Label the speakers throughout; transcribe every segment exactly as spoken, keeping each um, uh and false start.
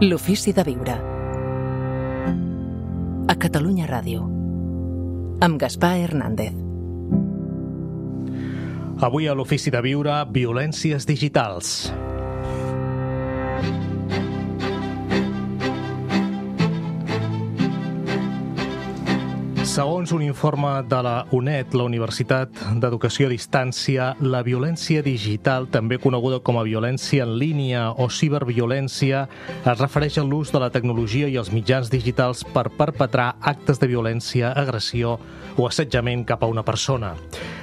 Speaker 1: L'ofici de viure. A Catalunya Ràdio. Amb Gaspar Hernández.
Speaker 2: Avui a l'ofici de viure, violències digitals. Segons un informe de la U N E D, la Universitat d'Educació a Distància, la violència digital, també coneguda com a violència en línia o ciberviolència, es refereix a l'ús de la tecnologia i els mitjans digitals per perpetrar actes de violència, agressió o assetjament cap a una persona.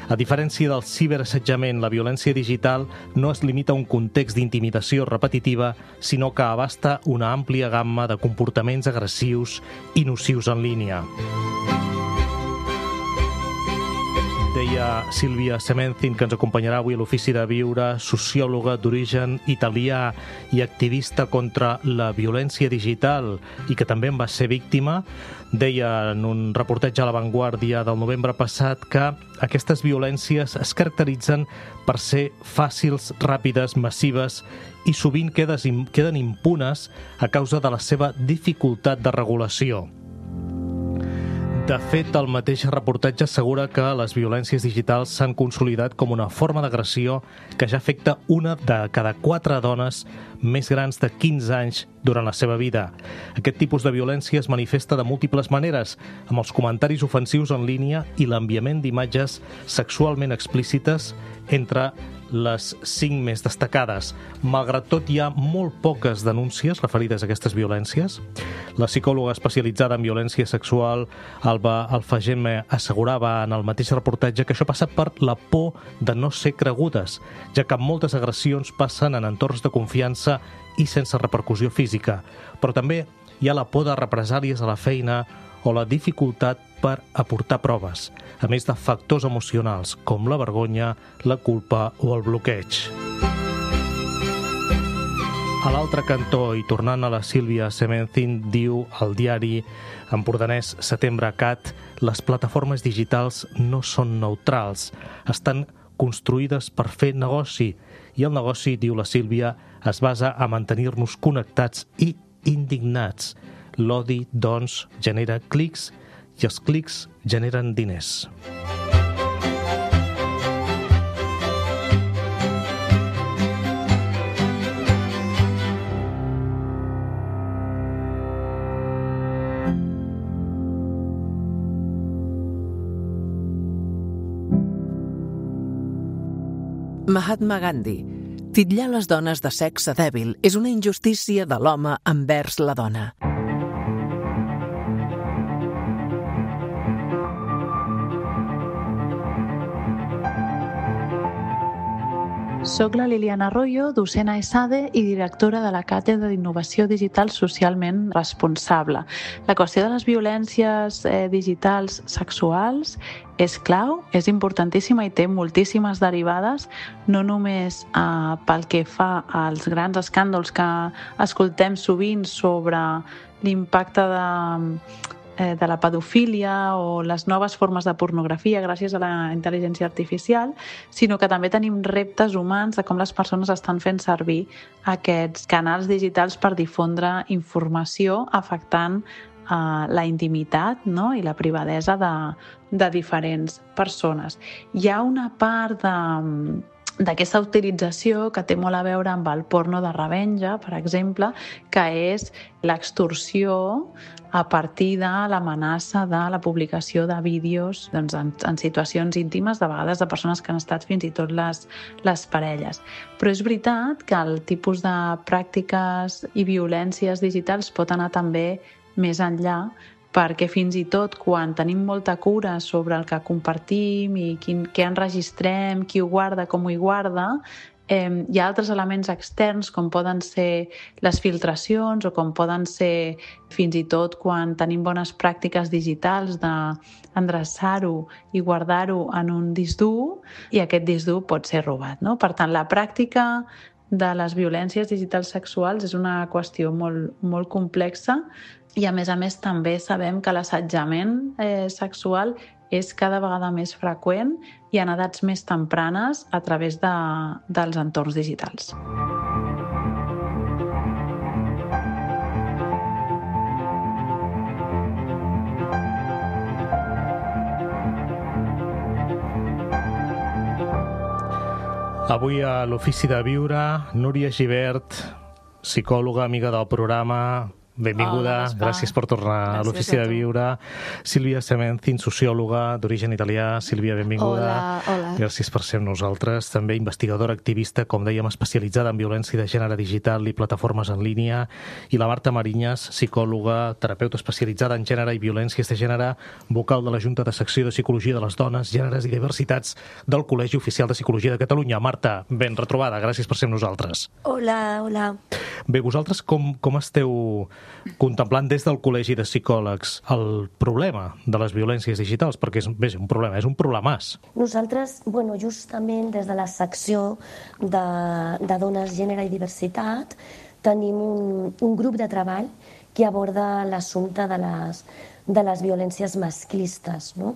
Speaker 2: A diferència del ciberassetjament, la violència digital no es limita a un context d'intimidació repetitiva, sinó que abasta una àmplia gamma de comportaments agressius i nocius en línia. Deia Sílvia Sementin, que ens acompanyarà avui a l'Ofici de Viure, sociòloga d'origen italià i activista contra la violència digital i que també en va ser víctima. Deia en un reportatge a La Vanguardia del novembre passat que aquestes violències es caracteritzen per ser fàcils, ràpides, massives i sovint queden impunes a causa de la seva dificultat de regulació. De fet, el mateix reportatge assegura que les violències digitals s'han consolidat com una forma d'agressió que ja afecta una de cada quatre dones més grans de quinze anys durant la seva vida. Aquest tipus de violència es manifesta de múltiples maneres, amb els comentaris ofensius en línia i l'enviament d'imatges sexualment explícites entre les cinc més destacades. Malgrat tot, hi ha molt poques denúncies referides a aquestes violències. La psicòloga especialitzada en violència sexual, Alba Alfageme, assegurava en el mateix reportatge que això passa per la por de no ser cregudes, ja que moltes agressions passen en entorns de confiança i sense repercussió física. Però també hi ha la por de represàlies a la feina o la dificultat per aportar proves, a més de factors emocionals com la vergonya, la culpa o el bloqueig. A l'altre cantó, i tornant a la Sílvia Sementin, diu al diari empordanès Setembre Cat, les plataformes digitals no són neutrals, estan construïdes per fer negoci, i el negoci, diu la Sílvia, es basa a mantenir-nos connectats i indignats. L'odi, doncs, genera clics i els clics generen diners.
Speaker 1: Mahatma Gandhi. Titllar les dones de sexe dèbil és una injustícia de l'home envers la dona.
Speaker 3: Soc la Liliana Arroyo, docent a ESADE i directora de la Càtedra d'Innovació Digital Socialment Responsable. La qüestió de les violències eh, digitals sexuals és clau, és importantíssima i té moltíssimes derivades, no només eh, pel que fa als grans escàndols que escoltem sovint sobre l'impacte de de la pedofília o les noves formes de pornografia gràcies a la intel·ligència artificial, sinó que també tenim reptes humans de com les persones estan fent servir aquests canals digitals per difondre informació afectant uh, la intimitat, no? I la privadesa de, de diferents persones. Hi ha una part de d'aquesta utilització que té molt a veure amb el porno de revenja, per exemple, que és l'extorsió a partir de l'amenaça de la publicació de vídeos doncs, en, en situacions íntimes, de vegades de persones que han estat fins i tot les, les parelles. Però és veritat que el tipus de pràctiques i violències digitals pot anar també més enllà, perquè fins i tot quan tenim molta cura sobre el que compartim i quin, què enregistrem, qui ho guarda, com ho hi guarda, eh, hi ha altres elements externs com poden ser les filtracions o com poden ser fins i tot quan tenim bones pràctiques digitals d'endreçar-ho i guardar-ho en un disc dur i aquest disc dur pot ser robat, no? Per tant, la pràctica de les violències digitals sexuals és una qüestió molt, molt complexa i a més a més també sabem que l'assetjament eh, sexual és cada vegada més freqüent i en edats més tempranes a través de, dels entorns digitals.
Speaker 2: Avui a l'Ofici de Viure, Núria Gibert, psicòloga, amiga del programa. Benvinguda,
Speaker 3: Hola,
Speaker 2: gràcies per tornar
Speaker 3: gràcies
Speaker 2: a l'Ofici de Viure. Sílvia Sementin, sociòloga d'origen italià. Sílvia, benvinguda.
Speaker 4: Hola, hola.
Speaker 2: Gràcies per ser amb nosaltres. També investigadora activista, com dèiem, especialitzada en violència de gènere digital i plataformes en línia. I la Marta Mariñas, psicòloga, terapeuta especialitzada en gènere i violències de gènere, vocal de la Junta de Secció de Psicologia de les Dones, Gèneres i Diversitats del Col·legi Oficial de Psicologia de Catalunya. Marta, ben retrobada, gràcies per ser amb nosaltres.
Speaker 4: Hola, hola.
Speaker 2: Bé, vosaltres com, com esteu contemplant des del Col·legi de Psicòlegs el problema de les violències digitals? Perquè és, bé, és un problema, és un problemàs.
Speaker 4: Nosaltres, bueno, justament des de la secció de, de Dones, Gènere i Diversitat tenim un, un grup de treball que aborda l'assumpte de les, de les violències masclistes, no?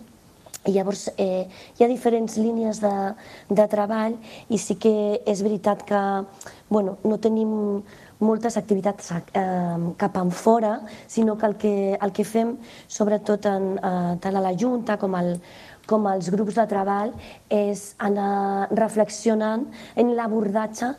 Speaker 4: I llavors eh, hi ha diferents línies de, de treball i sí que és veritat que bueno, no tenim moltes activitats eh, cap en fora, sinó que el que, el que fem, sobretot en, eh, tant a la Junta com, el, com els grups de treball, és anar reflexionant en l'abordatge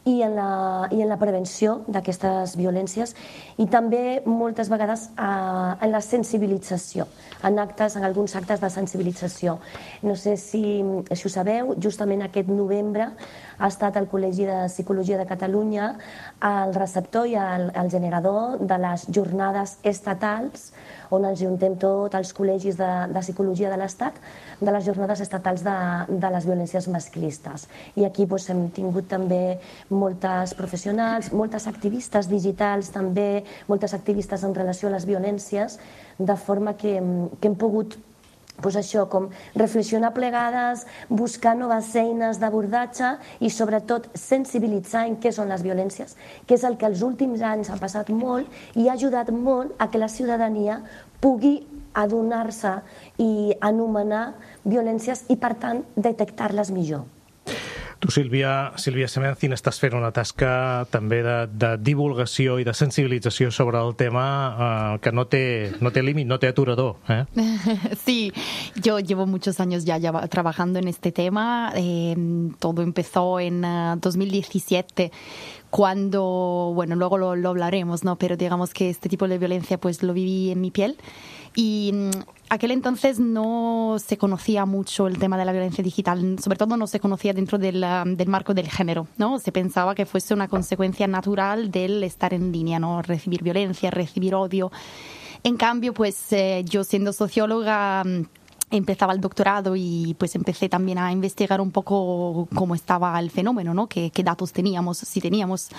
Speaker 4: i en la, i en la prevenció d'aquestes violències i també moltes vegades eh, en la sensibilització, en actes, en alguns actes de sensibilització. No sé si, si ho sabeu, justament aquest novembre ha estat el Col·legi de Psicologia de Catalunya el receptor i el, el generador de les jornades estatals on ens juntem tots els col·legis de, de psicologia de l'Estat, de les jornades estatals de, de les violències masclistes. I aquí doncs, hem tingut també moltes professionals, moltes activistes digitals també, moltes activistes en relació a les violències, de forma que, que hem pogut pues això, com reflexionar plegades, buscar noves eines d'abordatge i sobretot sensibilitzar en què són les violències, que és el que els últims anys ha passat molt i ha ajudat molt a que la ciutadania pugui adonar-se i anomenar violències i, per tant, detectar-les millor.
Speaker 2: Tu, Sílvia, Sílvia Sementin, estàs fent una tasca també de, de divulgació i de sensibilització sobre el tema eh, que no té, no té límit, no té aturador. ¿eh?
Speaker 5: Sí, yo llevo muchos años ya, ya trabajando en este tema. Eh, todo empezó en uh, dos mil diecisiete, cuando, bueno, luego lo, lo hablaremos, ¿no? Pero digamos que este tipo de violencia pues lo viví en mi piel. Y um, aquel entonces no se conocía mucho el tema de la violencia digital, sobre todo no se conocía dentro del, um, del marco del género, ¿no? Se pensaba que fuese una consecuencia natural del estar en línea, ¿no? Recibir violencia, recibir odio. En cambio, pues eh, yo siendo socióloga empezaba el doctorado y pues empecé también a investigar un poco cómo estaba el fenómeno, ¿no? Qué, qué datos teníamos, si teníamos,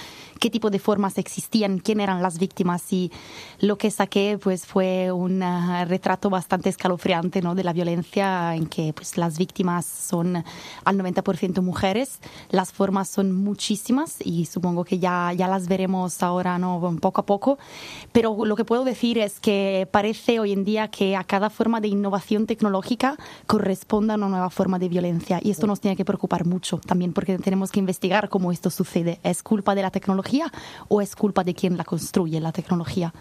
Speaker 5: qué tipo de formas existían, quién eran las víctimas, y lo que saqué pues fue un uh, retrato bastante escalofriante, ¿no? De la violencia, en que pues las víctimas son al noventa por ciento mujeres, las formas son muchísimas y supongo que ya, ya las veremos ahora, ¿no? Poco a poco, pero lo que puedo decir es que parece hoy en día que a cada forma de innovación tecnológica corresponda a una nueva forma de violencia, y esto nos tiene que preocupar mucho también, porque tenemos que investigar cómo esto sucede. ¿Es culpa de la tecnología o és culpa de quien la construye, la tecnologia?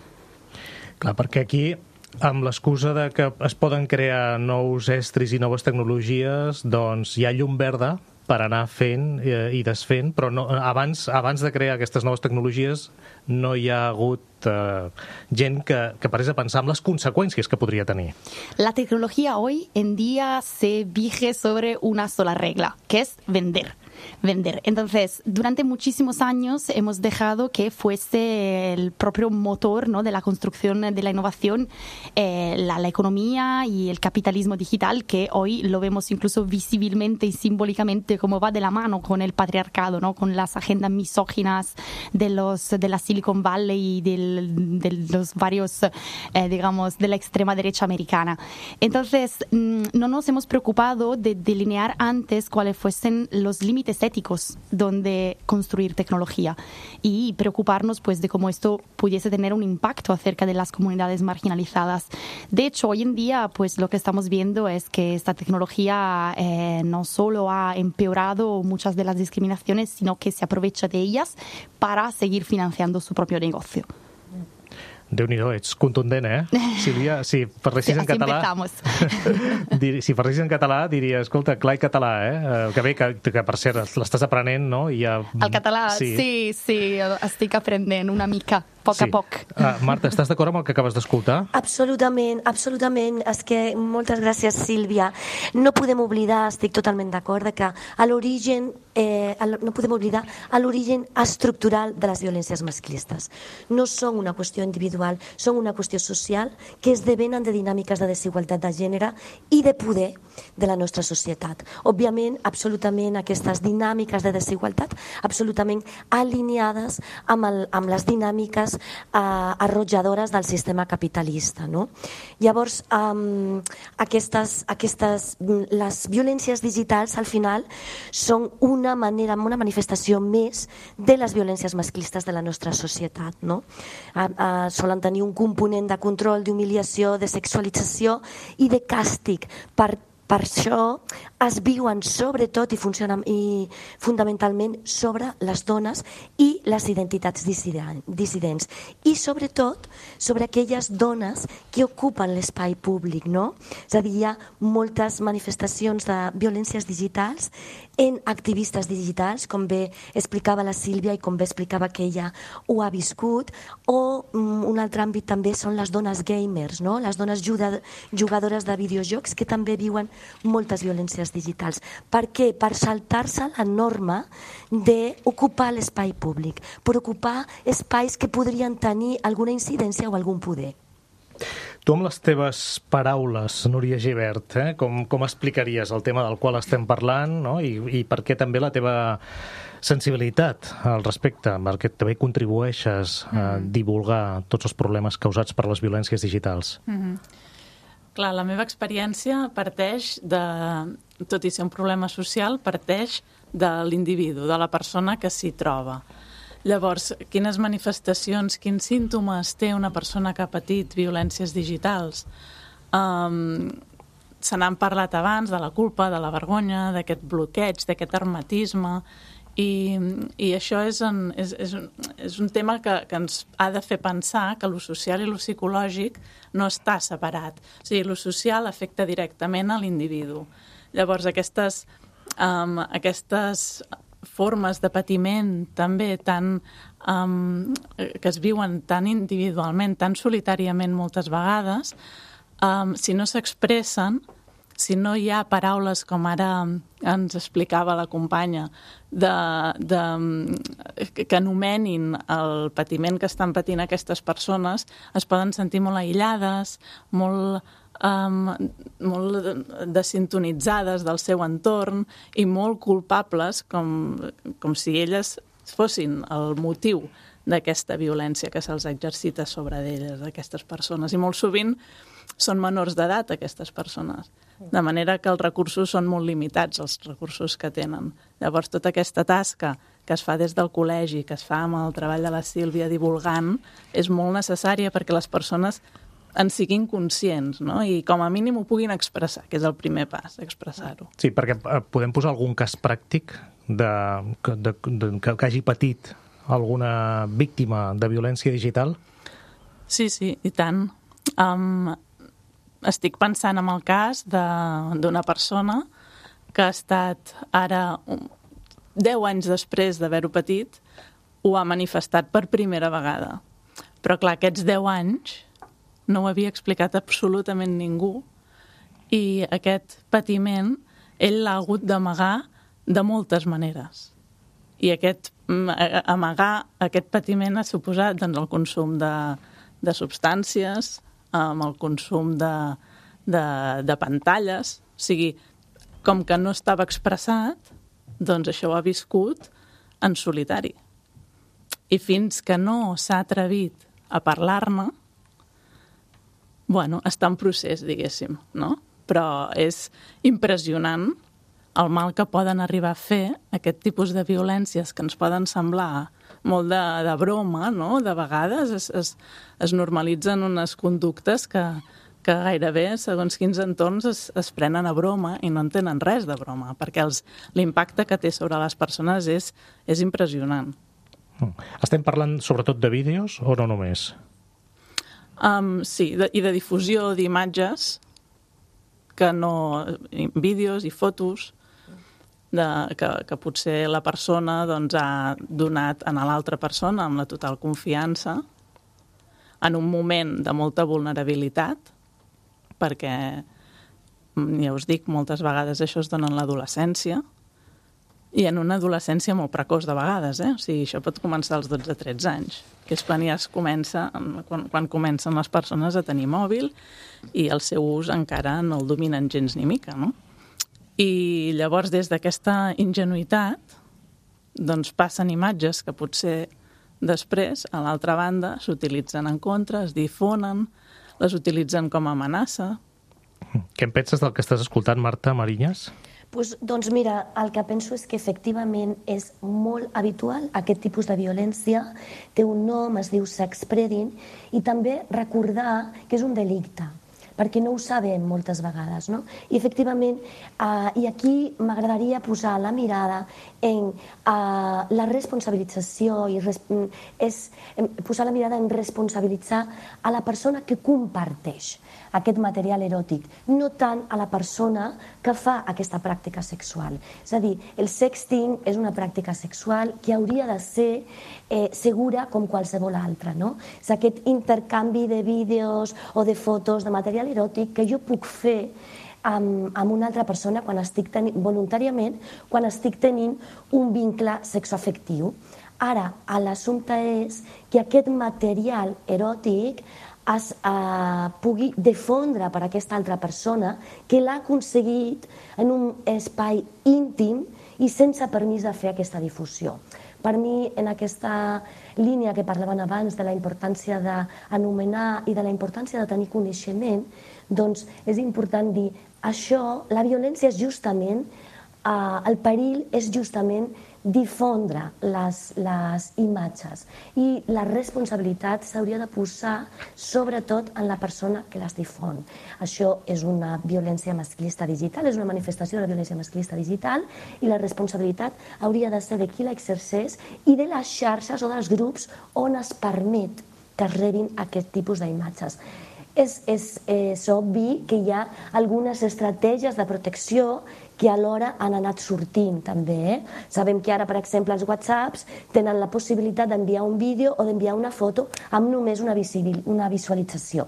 Speaker 2: Clar, perquè aquí, amb l'excusa de que es poden crear nous estris i noves tecnologies, doncs hi ha llum verda per anar fent i desfent, però no, abans, abans de crear aquestes noves tecnologies no hi ha hagut eh, gent que, que parés a pensar en les conseqüències que podria tenir.
Speaker 5: La tecnología hoy en día se rige sobre una sola regla, que es vender. Vender. Entonces, durante muchísimos años hemos dejado que fuese el propio motor, ¿no? De la construcción de la innovación, eh, la, la economía y el capitalismo digital, que hoy lo vemos incluso visiblemente y simbólicamente como va de la mano con el patriarcado, ¿no? Con las agendas misóginas de los de la Silicon Valley y del, de los varios, eh, digamos, de la extrema derecha americana. Entonces, mmm, no nos hemos preocupado de delinear antes cuáles fuesen los límites éticos donde construir tecnología y preocuparnos pues de cómo esto pudiese tener un impacto acerca de las comunidades marginalizadas. De hecho, hoy en día pues lo que estamos viendo es que esta tecnología eh, no solo ha empeorado muchas de las discriminaciones, sino que se aprovecha de ellas para seguir financiando su propio negocio.
Speaker 2: Déu-n'hi-do, ets contundent, eh? Sílvia, si parlessis
Speaker 5: sí,
Speaker 2: en català... dir, si parlessis en català, diria, escolta, clar i català, eh? Que bé, que, que per cert, l'estàs aprenent, no? I ja...
Speaker 5: El català, sí. sí, sí, estic aprenent una mica, a poc sí. a poc.
Speaker 2: Uh, Marta, estàs d'acord amb el que acabes d'escoltar?
Speaker 4: Absolutament, absolutament. És que moltes gràcies, Sílvia. No podem oblidar, estic totalment d'acord, que a l'origen, eh, no podem oblidar a l'origen estructural de les violències masclistes. No són una qüestió individual, són una qüestió social que esdevenen de dinàmiques de desigualtat de gènere i de poder de la nostra societat. Òbviament, absolutament aquestes dinàmiques de desigualtat absolutament alineades amb, el, amb les dinàmiques eh, arrotjadores del sistema capitalista. No? Llavors, um, aquestes, aquestes, les violències digitals al final són una manera, una manifestació més de les violències masclistes de la nostra societat. No? Uh, uh, solen tenir un component de control, d'humiliació, de sexualització i de càstig. Per Per això es viuen sobretot i funcionen i fundamentalment sobre les dones i les identitats dissidents i sobretot sobre aquelles dones que ocupen l'espai públic, no? És a dir, hi ha moltes manifestacions de violències digitals en activistes digitals, com bé explicava la Sílvia i com bé explicava que ella ho ha viscut, o um, un altre àmbit també són les dones gamers, no? Les dones jugadores de videojocs que també viuen moltes violències digitals. Per què? Per saltar-se la norma d'ocupar l'espai públic, per ocupar espais que podrien tenir alguna incidència o algun poder.
Speaker 2: Tu amb les teves paraules, Núria Gibert, eh, com, com explicaries el tema del qual estem parlant, no? I, i per què també la teva sensibilitat al respecte, perquè també contribueixes a divulgar tots els problemes causats per les violències digitals?
Speaker 6: Mm-hmm. Clar, la meva experiència parteix de, tot i ser un problema social, parteix de l'individu, de la persona que s'hi troba. Llavors, quines manifestacions, quins símptomes té una persona que ha patit violències digitals? Um, se n'han parlat abans de la culpa, de la vergonya, d'aquest bloqueig, d'aquest hermetisme, i, i això és, en, és, és, un, és un tema que, que ens ha de fer pensar que lo social i lo psicològic no està separat. O sigui, lo social afecta directament a l'individu. Llavors, aquestes, um, aquestes formes de patiment també tan, um, que es viuen tan individualment, tan solitàriament moltes vegades, um, si no s'expressen, si no hi ha paraules com ara ens explicava la companya, de, de, que anomenin el patiment que estan patint aquestes persones, es poden sentir molt aïllades, molt, um, molt desintonitzades del seu entorn i molt culpables, com, com si elles fossin el motiu d'aquesta violència que se'ls exercita sobre d'elles, d'aquestes persones. I molt sovint són menors d'edat, aquestes persones. De manera que els recursos són molt limitats, els recursos que tenen. Llavors, tota aquesta tasca que es fa des del col·legi, que es fa amb el treball de la Sílvia divulgant, és molt necessària perquè les persones en siguin conscients, no? I com a mínim ho puguin expressar, que és el primer pas, expressar-ho.
Speaker 2: Sí, perquè podem posar algun cas pràctic de, de, de, que, que hagi patit alguna víctima de violència digital?
Speaker 6: Sí, sí, i tant. Um, estic pensant en el cas d'una persona que ha estat ara, deu anys després d'haver-ho patit, ho ha manifestat per primera vegada. Però clar, aquests deu anys no ho havia explicat absolutament ningú i aquest patiment ell l'ha hagut d'amagar de moltes maneres. I aquest, amagar aquest patiment ha suposat doncs, el consum de, de substàncies, amb el consum de, de, de pantalles. O sigui, com que no estava expressat, doncs això ho ha viscut en solitari. I fins que no s'ha atrevit a parlar-ne, bueno, està en procés, diguéssim, no? Però és impressionant el mal que poden arribar a fer aquest tipus de violències que ens poden semblar molt de, de broma, no? De vegades es, es, es normalitzen unes conductes que, que gairebé, segons quins entorns, es, es prenen a broma i no en tenen res de broma, perquè l'impacte que té sobre les persones és, és impressionant.
Speaker 2: Estem parlant sobretot de vídeos o no només?
Speaker 6: Um, sí, de, i de difusió d'imatges que no... vídeos i fotos de, que, que potser la persona doncs, ha donat a l'altra persona amb la total confiança en un moment de molta vulnerabilitat, perquè, ja us dic, moltes vegades això es dona en l'adolescència, i en una adolescència molt precoç de vegades, eh? O sigui, això pot començar als dotze tretze anys, que és quan ja es comença, quan, quan comencen les persones a tenir mòbil i el seu ús encara no el dominen gens ni mica, no? I llavors, des d'aquesta ingenuïtat, doncs passen imatges que potser després, a l'altra banda, s'utilitzen en contra, es difonen, les utilitzen com a amenaça.
Speaker 2: Què en penses del que estàs escoltant, Marta Mariñas?
Speaker 4: Pues, doncs mira, el que penso és que efectivament és molt habitual aquest tipus de violència, té un nom, es diu sexpredding, i també recordar que és un delicte, perquè no ho sabem moltes vegades, no? I efectivament, eh, i aquí m'agradaria posar la mirada en eh, la responsabilització, i res, és posar la mirada en responsabilitzar a la persona que comparteix aquest material eròtic, no tant a la persona que fa aquesta pràctica sexual. És a dir, el sexting és una pràctica sexual que hauria de ser eh, segura com qualsevol altra, no? És aquest intercanvi de vídeos o de fotos, de material eròtic que jo puc fer amb, amb una altra persona quan estic tenint, voluntàriament, quan estic tenint un vincle sexoafectiu. Ara, l'assumpte és que aquest material eròtic es eh, pugui difondre per aquesta altra persona que l'ha aconseguit en un espai íntim i sense permís de fer aquesta difusió. Per mi, en aquesta línia que parlaven abans de la importància d'anomenar i de la importància de tenir coneixement, doncs és important dir això, la violència és justament, eh, el perill és justament difondre les, les imatges, i la responsabilitat s'hauria de posar sobretot en la persona que les difon. Això és una violència masclista digital, és una manifestació de la violència masclista digital, i la responsabilitat hauria de ser de qui l'exerceix i de les xarxes o dels grups on es permet que es rebin aquest tipus d'imatges. És, és, és obvi que hi ha algunes estratègies de protecció que alhora han anat sortint també. Eh? Sabem que ara, per exemple, els whatsapps tenen la possibilitat d'enviar un vídeo o d'enviar una foto amb només una, una visualització.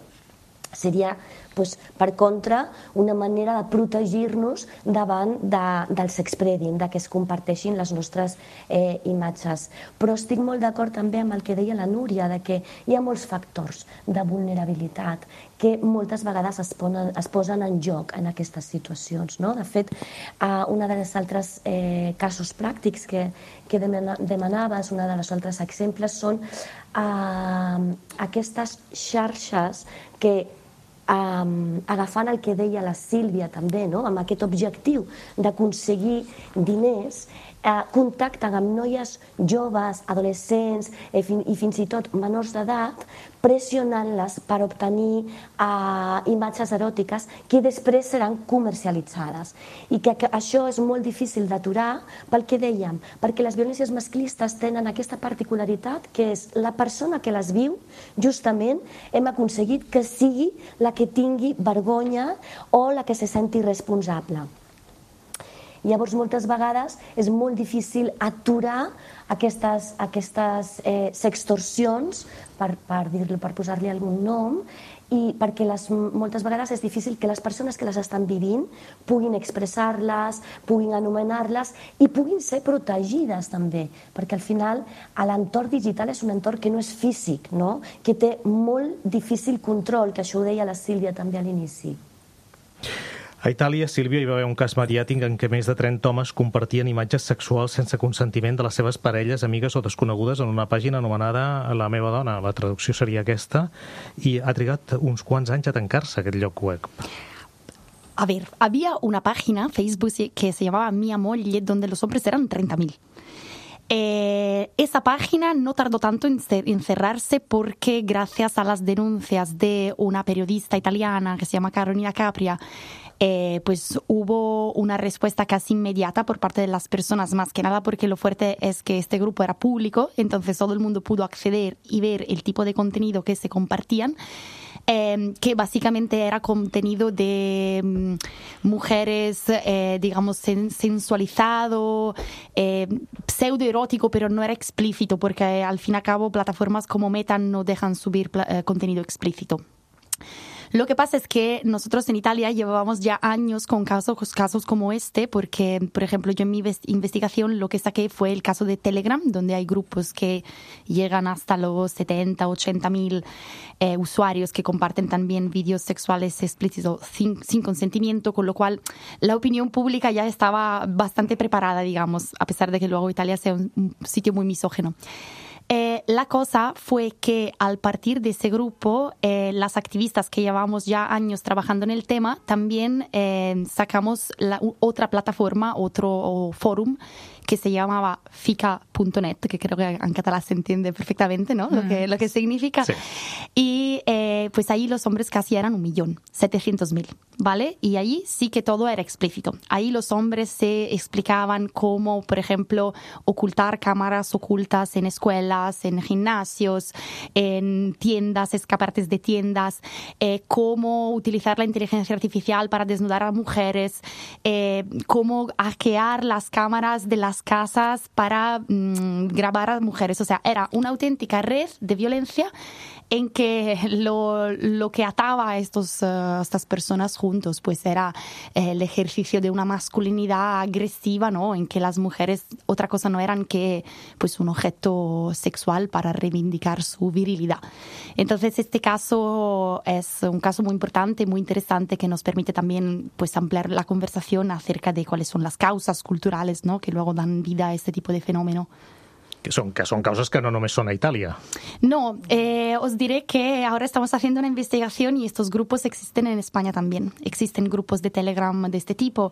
Speaker 4: Seria, doncs, per contra, una manera de protegir-nos davant de, del sexpredding, de que es comparteixin les nostres eh, imatges. Però estic molt d'acord també amb el que deia la Núria, de que hi ha molts factors de vulnerabilitat que moltes vegades es posen, es posen en joc en aquestes situacions. No? De fet, eh, una de les altres eh, casos pràctics que, que demanaves, una de les altres exemples, són eh, aquestes xarxes que Um, agafant el que deia la Sílvia també, no? Amb aquest objectiu d'aconseguir diners, eh, contacten amb noies joves, adolescents eh, fin, i fins i tot menors d'edat, pressionant-les per obtenir eh, imatges eròtiques que després seran comercialitzades. I que, que això és molt difícil d'aturar pel que dèiem, perquè les violències masclistes tenen aquesta particularitat que és la persona que les viu, justament hem aconseguit que sigui la que tingui vergonya o la que se senti responsable. Llavors, moltes vegades és molt difícil aturar aquestes, aquestes eh, sextorsions, per, per, dir-lo, per posar-li algun nom, i perquè les, moltes vegades és difícil que les persones que les estan vivint puguin expressar-les, puguin anomenar-les i puguin ser protegides també, perquè al final l'entorn digital és un entorn que no és físic, no? Que té molt difícil control, que això ho deia la Sílvia també a l'inici.
Speaker 2: A Itàlia, Sílvia, hi va haver un cas mediàtic en què més de trenta homes compartien imatges sexuals sense consentiment de les seves parelles, amigues o desconegudes en una pàgina anomenada La meva dona. La traducció seria aquesta, i ha trigat uns quants anys a tancar-se aquest lloc web.
Speaker 5: A ver, había una página, Facebook, que se llamaba Mi Amor, donde los hombres eran treinta mil. Eh, esa página no tardó tanto en, en cerrarse porque gracias a las denuncias de una periodista italiana que se llama Carolina Capria, Eh, pues hubo una respuesta casi inmediata por parte de las personas, más que nada porque lo fuerte es que este grupo era público, entonces todo el mundo pudo acceder y ver el tipo de contenido que se compartían. eh, que básicamente era contenido de um, mujeres, eh, digamos, sen- sensualizado, eh, pseudoerótico, pero no era explícito, porque al fin y al cabo plataformas como Meta no dejan subir pla- eh, contenido explícito. Lo que pasa es que nosotros en Italia llevábamos ya años con casos, casos como este, porque, por ejemplo, yo en mi investigación lo que saqué fue el caso de Telegram, donde hay grupos que llegan hasta los setenta, ochenta mil eh, usuarios que comparten también vídeos sexuales explícitos sin, sin consentimiento, con lo cual la opinión pública ya estaba bastante preparada, digamos, a pesar de que luego Italia sea un, un sitio muy misógino. Eh, la cosa fue que al partir de ese grupo, eh, las activistas que llevamos ya años trabajando en el tema, también eh, sacamos la, otra plataforma, otro fórum que se llamaba fica punto net, que creo que en catalán se entiende perfectamente, ¿no? Mm. Lo que, lo que significa. Sí. Y eh, pues ahí los hombres casi eran un millón, setecientos mil, ¿vale? Y ahí sí que todo era explícito. Ahí los hombres se explicaban cómo, por ejemplo, ocultar cámaras ocultas en escuelas, en gimnasios, en tiendas, escaparates de tiendas, eh, cómo utilizar la inteligencia artificial para desnudar a mujeres, eh, cómo hackear las cámaras de las casas para mmm, grabar a mujeres. O sea, era una auténtica red de violencia en que lo, lo que ataba a estos, uh, estas personas juntos pues era eh, el ejercicio de una masculinidad agresiva, ¿no? En que las mujeres otra cosa no eran que pues un objeto sexual para reivindicar su virilidad. Entonces este caso es un caso muy importante, muy interesante, que nos permite también pues ampliar la conversación acerca de cuáles son las causas culturales, ¿no? Que luego dan vida a este tipo de fenómeno.
Speaker 2: Que son, que son causas que no només son a Italia.
Speaker 5: No, eh, os diré que ahora estamos haciendo una investigación y estos grupos existen en España también. Existen grupos de Telegram de este tipo,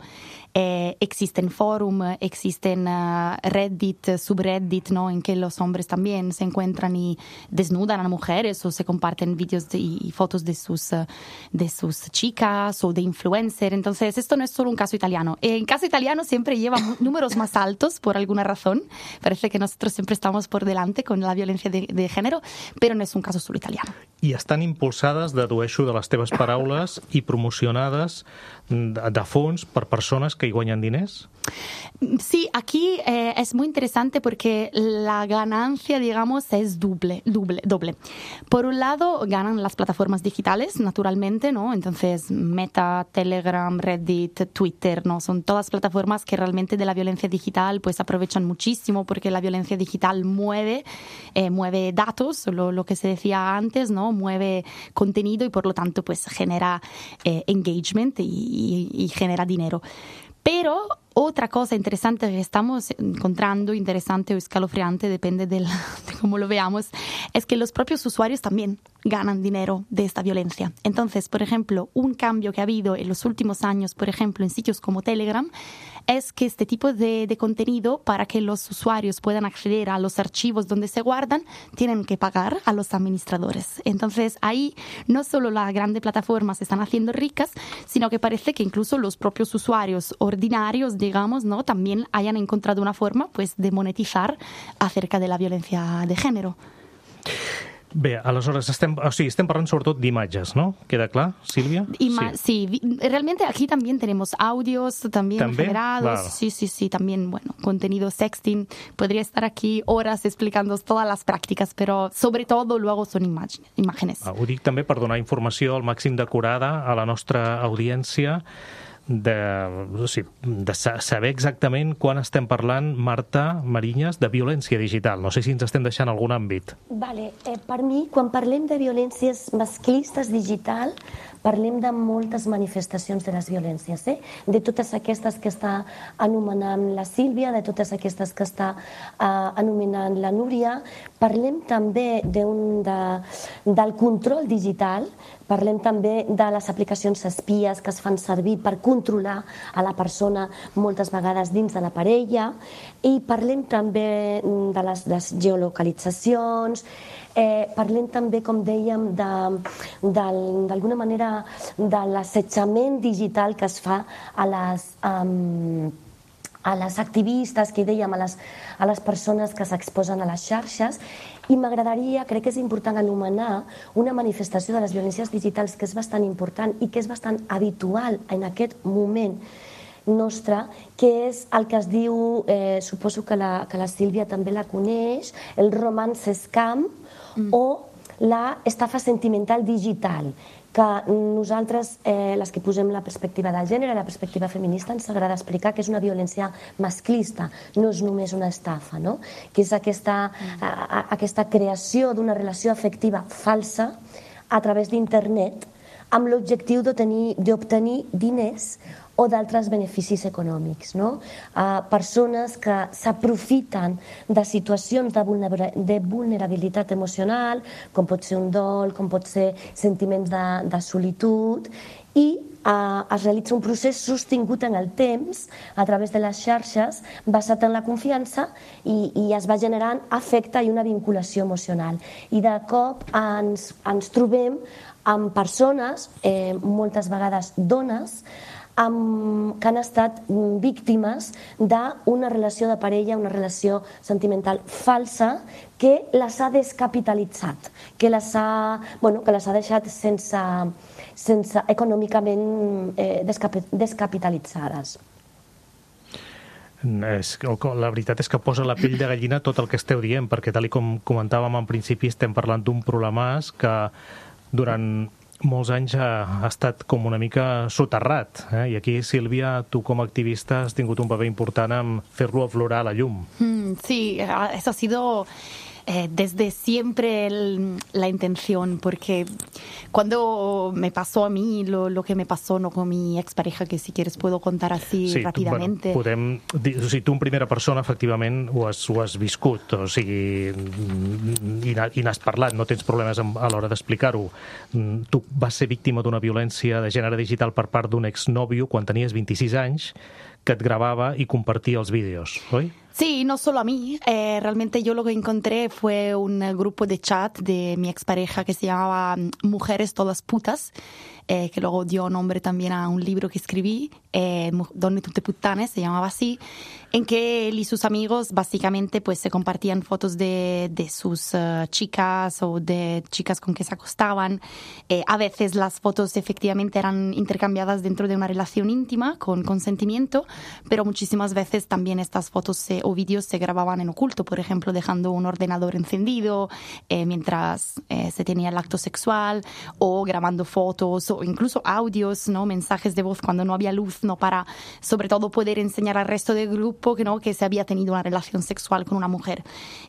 Speaker 5: eh, existen forum, existen uh, Reddit, subreddit, ¿no? En que los hombres también se encuentran y desnudan a mujeres o se comparten vídeos de, y fotos de sus, uh, de sus chicas o de influencer. Entonces, esto no es solo un caso italiano. En caso italiano siempre lleva números más altos por alguna razón. Parece que nosotros siempre estamos por delante con la violencia de, de género, però no és un cas solo italiano.
Speaker 2: I estan impulsades, dedueixo de les teves paraules, i promocionades de, de fons per persones que hi guanyen diners?
Speaker 5: Sí, aquí eh, es muy interesante porque la ganancia, digamos, es doble, doble, doble. Por un lado, ganan las plataformas digitales, naturalmente, ¿no? Entonces, Meta, Telegram, Reddit, Twitter, ¿no? Son todas plataformas que realmente de la violencia digital pues aprovechan muchísimo, porque la violencia digital mueve, eh, mueve datos, lo, lo que se decía antes, ¿no? Mueve contenido y por lo tanto pues genera eh, engagement y, y, y genera dinero. Pero otra cosa interesante que estamos encontrando, interesante o escalofriante, depende del, de cómo lo veamos, es que los propios usuarios también ganan dinero de esta violencia. Entonces, por ejemplo, un cambio que ha habido en los últimos años, por ejemplo, en sitios como Telegram, es que este tipo de, de contenido, para que los usuarios puedan acceder a los archivos donde se guardan, tienen que pagar a los administradores. Entonces, ahí no solo las grandes plataformas se están haciendo ricas, sino que parece que incluso los propios usuarios ordinarios, digamos, ¿no? También hayan encontrado una forma pues, de monetizar acerca de la violencia de género.
Speaker 2: Bé, aleshores estem, o sigui, estem parlant sobretot d'imatges, ¿no? ¿Queda clar, Sílvia?
Speaker 5: Ima- sí. sí, realmente aquí también tenemos audios también
Speaker 2: ¿También?
Speaker 5: generados.
Speaker 2: Claro.
Speaker 5: Sí, sí, sí, también, bueno, contenido sexting. Podría estar aquí horas explicando todas las prácticas, pero sobre todo luego son imag- imágenes.
Speaker 2: Ah, ho dic també per donar informació al màxim d'acurada a la nostra audiència, de, o sigui, de saber exactament quan estem parlant, Marta Mariñas, de violència digital. No sé si ens estem deixant algun àmbit.
Speaker 4: Vale. Eh, per mi, quan parlem de violències masclistes digital, parlem de moltes manifestacions de les violències, eh? De totes aquestes que està anomenant la Sílvia, de totes aquestes que està eh, anomenant la Núria. Parlem també d'un de, del control digital, parlem també de les aplicacions espies que es fan servir per controlar a la persona moltes vegades dins de la parella, i parlem també de les, les geolocalitzacions, eh, parlem també, com dèiem, d'alguna manera de l'assetjament digital que es fa a les... Um, a les activistes, que dèiem, a les, a les persones que s'exposen a les xarxes, I m'agradaria, crec que és important anomenar una manifestació de les violències digitals que és bastant important i que és bastant habitual en aquest moment nostre, que és el que es diu, eh, suposo que la, que la Sílvia també la coneix, el romance scam mm. o la estafa sentimental digital, que nosaltres, eh, les que posem la perspectiva del gènere, la perspectiva feminista, ens agrada explicar que és una violència masclista, no és només una estafa, no? Que és aquesta, mm. a, a, aquesta creació d'una relació afectiva falsa a través d'internet amb l'objectiu d'obtenir diners o d'altres beneficis econòmics, no? Uh, persones que s'aprofiten de situacions de, vulnera de vulnerabilitat emocional, com pot ser un dol, com pot ser sentiments de, de solitud, i uh, es realitza un procés sostingut en el temps a través de les xarxes, basat en la confiança, i, i es va generant afecte i una vinculació emocional. I de cop ens, ens trobem amb persones, eh, moltes vegades dones, amb, que han estat víctimes d'una relació de parella, una relació sentimental falsa, que les ha descapitalitzat, que les ha, bueno, que les ha deixat sense, sense econòmicament eh, descapi, descapitalitzades.
Speaker 2: És, la veritat és que posa la pell de gallina tot el que esteu dient, perquè tal com comentàvem en principi estem parlant d'un problemàs que durant molts anys ha, ha estat com una mica soterrat. Eh? I aquí, Sílvia, tu com a activista has tingut un paper important en fer-lo aflorar a la llum.
Speaker 5: Mm, sí, eso ha sido eh, desde siempre el, la intención, porque cuando me pasó a mí lo, lo que me pasó no con mi expareja, que si quieres puedo contar así sí, ràpidamente.
Speaker 2: Bueno, podem dir, o sigui, tu en primera persona efectivament ho has, ho has viscut, o sigui, i, i n'has parlat, no tens problemes a l'hora d'explicar-ho. Tu vas ser víctima d'una violència de gènere digital per part d'un exnòvio quan tenies vint-i-sis anys, que et grabava i compartia els vídeos, oi?
Speaker 5: Sí, no solo a mí. Eh, realmente yo lo que encontré fue un grupo de chat de mi expareja que se llamaba Mujeres Todas Putas, eh, que luego dio nombre también a un libro que escribí, eh, Donne tutte puttane, se llamaba así, en que él y sus amigos básicamente pues se compartían fotos de, de sus uh, chicas o de chicas con que se acostaban. Eh, a veces las fotos efectivamente eran intercambiadas dentro de una relación íntima con consentimiento, pero muchísimas veces también estas fotos se, o vídeos se grababan en oculto, por ejemplo, dejando un ordenador encendido eh, mientras eh, se tenía el acto sexual, o grabando fotos o incluso audios, ¿no? Mensajes de voz cuando no había luz, ¿no? Para sobre todo poder enseñar al resto del grupo que no, que se había tenido una relación sexual con una mujer.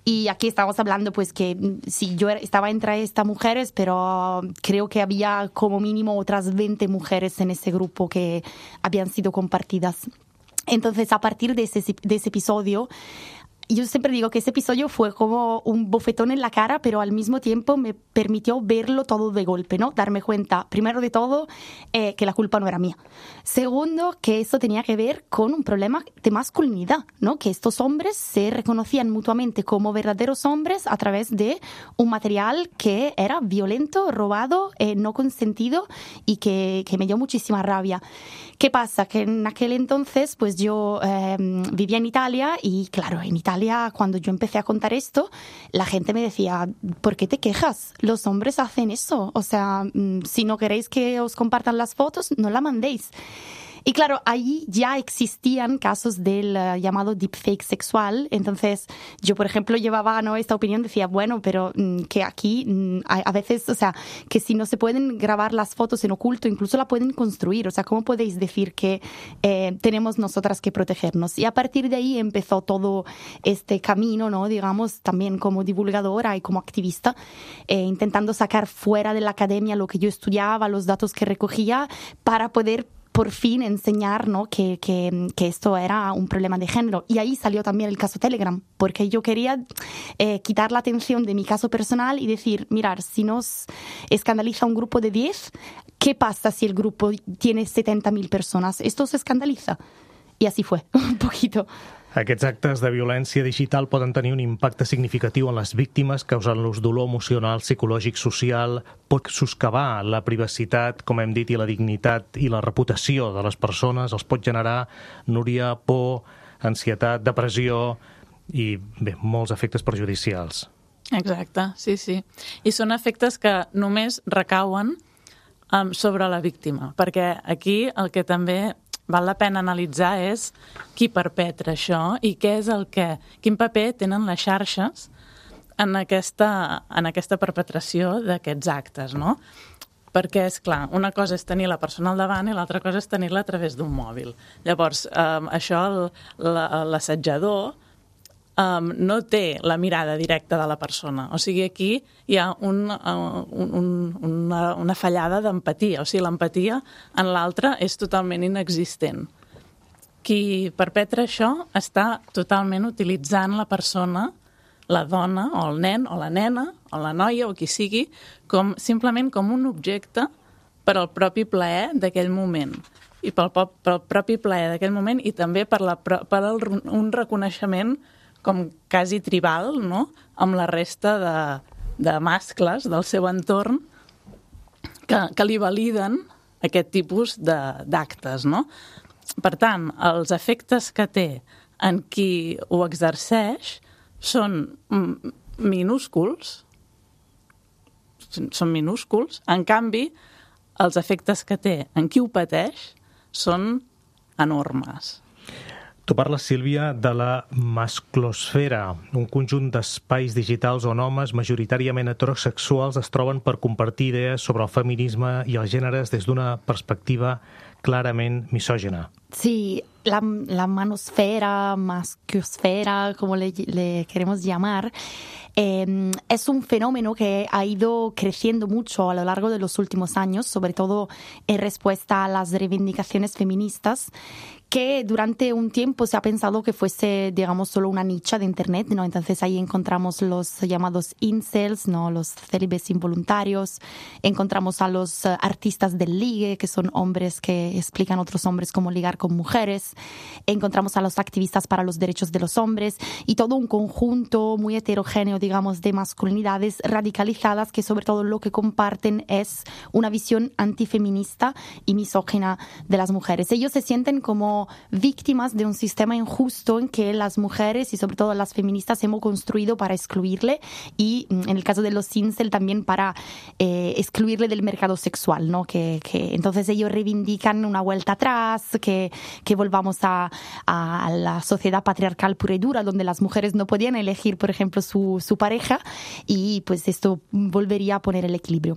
Speaker 5: Y aquí estamos hablando pues que sí, yo estaba entre estas mujeres, pero creo que había como mínimo otras veinte mujeres en ese grupo que habían sido compartidas. Entonces, a partir de ese, de ese episodio, yo siempre digo que ese episodio fue como un bofetón en la cara, pero al mismo tiempo me permitió verlo todo de golpe, ¿no? Darme cuenta, primero de todo, eh, que la culpa no era mía. Segundo, que esto tenía que ver con un problema de masculinidad, ¿no? Que estos hombres se reconocían mutuamente como verdaderos hombres a través de un material que era violento, robado, eh, no consentido, y que, que me dio muchísima rabia. ¿Qué pasa? Que en aquel entonces, pues yo eh, vivía en Italia y, claro, en Italia, cuando yo empecé a contar esto, la gente me decía, ¿por qué te quejas? Los hombres hacen eso. O sea, si no queréis que os compartan las fotos, no la mandéis. Y claro, ahí ya existían casos del uh, llamado deepfake sexual. Entonces, yo, por ejemplo, llevaba ¿no? esta opinión, decía, bueno, pero mm, que aquí mm, a, a veces, o sea, que si no se pueden grabar las fotos en oculto, incluso la pueden construir. O sea, ¿cómo podéis decir que eh, tenemos nosotras que protegernos? Y a partir de ahí empezó todo este camino, ¿no? Digamos, también como divulgadora y como activista, eh, intentando sacar fuera de la academia lo que yo estudiaba, los datos que recogía, para poder por fin enseñar ¿no? que, que, que esto era un problema de género. Y ahí salió también el caso Telegram, porque yo quería eh, quitar la atención de mi caso personal y decir, mirar, si nos escandaliza un grupo de diez, ¿qué pasa si el grupo tiene setenta mil personas? Esto se escandaliza. I així fue, un poquito.
Speaker 2: Aquests actes de violència digital poden tenir un impacte significatiu en les víctimes, causant-los dolor emocional, psicològic, social, pot soscavar la privacitat, com hem dit, i la dignitat i la reputació de les persones, els pot generar, Núria, por, ansietat, depressió i, bé, molts efectes perjudicials.
Speaker 6: Exacte, sí, sí. I són efectes que només recauen um, sobre la víctima, perquè aquí el que també val la pena analitzar és qui perpetra això i què és el que, quin paper tenen les xarxes en aquesta, en aquesta perpetració d'aquests actes, no? Perquè, és clar, una cosa és tenir la persona al davant i l'altra cosa és tenir-la a través d'un mòbil. Llavors, um, això, l'assetjador um, no té la mirada directa de la persona. O sigui, aquí hi ha un, uh, un, una, una fallada d'empatia. O sigui, l'empatia en l'altre és totalment inexistent. Qui perpetra això està totalment utilitzant la persona, la dona o el nen o la nena o la noia o qui sigui, com, simplement com un objecte per al propi plaer d'aquell moment. I pel, pel propi plaer d'aquell moment i també per, la, per el, un reconeixement com quasi tribal, no?, amb la resta de, de mascles del seu entorn que, que li validen aquest tipus d'actes, no? Per tant, els efectes que té en qui ho exerceix són minúsculs, són minúsculs, en canvi, els efectes que té en qui ho pateix són enormes.
Speaker 2: Tu parles, Sílvia, de la masclosfera, un conjunt d'espais digitals on homes majoritàriament heterosexuals es troben per compartir idees sobre el feminisme i els gèneres des d'una perspectiva clarament misògina.
Speaker 5: Sí, la, la manosfera, masclosfera, como le, le queremos llamar, eh, es un fenómeno que ha ido creciendo mucho a lo largo de los últimos años, sobre todo en respuesta a las reivindicaciones feministas, que durante un tiempo se ha pensado que fuese, digamos, solo una nicha de Internet, ¿no? Entonces ahí encontramos los llamados incels, ¿no?, los célibes involuntarios, encontramos a los uh, artistas del ligue, que son hombres que explican a otros hombres cómo ligar con mujeres, encontramos a los activistas para los derechos de los hombres y todo un conjunto muy heterogéneo, digamos, de masculinidades radicalizadas que sobre todo lo que comparten es una visión antifeminista y misógina de las mujeres. Ellos se sienten como víctimas de un sistema injusto en que las mujeres y sobre todo las feministas hemos construido para excluirle y en el caso de los incel también para eh, excluirle del mercado sexual, ¿no? Que, que entonces ellos reivindican una vuelta atrás, que, que volvamos a, a la sociedad patriarcal pura y dura donde las mujeres no podían elegir, por ejemplo, su, su pareja y pues esto volvería a poner el equilibrio.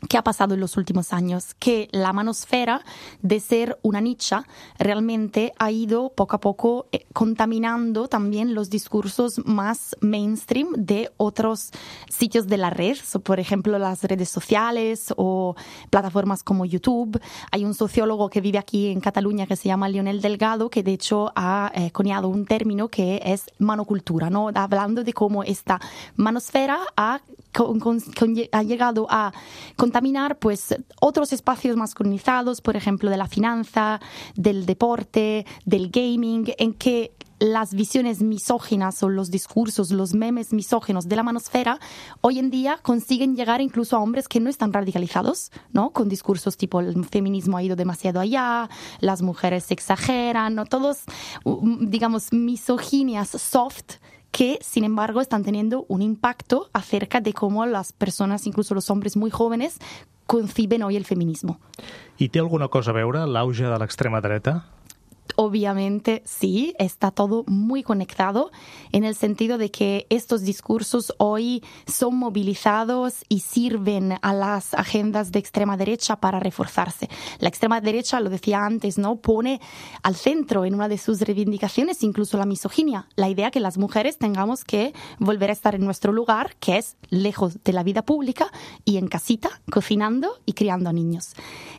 Speaker 5: ¿Qué ha pasado en los últimos años? Que la manosfera, de ser una nicha, realmente ha ido poco a poco eh, contaminando también los discursos más mainstream de otros sitios de la red, so, por ejemplo, las redes sociales o plataformas como YouTube. Hay un sociólogo que vive aquí en Cataluña que se llama Lionel Delgado, que de hecho ha eh, coniado un término que es manocultura, ¿no? Hablando de cómo esta manosfera ha, con, con, con, ha llegado a contaminar pues otros espacios masculinizados, por ejemplo, de la finanza, del deporte, del gaming, en que las visiones misóginas o los discursos, los memes misóginos de la manosfera hoy en día consiguen llegar incluso a hombres que no están radicalizados, ¿no? Con discursos tipo el feminismo ha ido demasiado allá, las mujeres se exageran, ¿no? Todos, digamos, misoginias soft que, sin embargo, están teniendo un impacto acerca de cómo las personas, incluso los hombres muy jóvenes, conciben hoy el feminismo.
Speaker 2: I té alguna cosa a veure l'auge de l'extrema dreta?
Speaker 5: Obviamente sí, está todo muy conectado en el sentido de que estos discursos hoy son movilizados y sirven a las agendas de extrema derecha para reforzarse. La extrema derecha, lo decía antes, ¿no?, pone al centro en una de sus reivindicaciones incluso la misoginia, la idea que las mujeres tengamos que volver a estar en nuestro lugar, que es lejos de la vida pública y en casita, cocinando y criando a niños.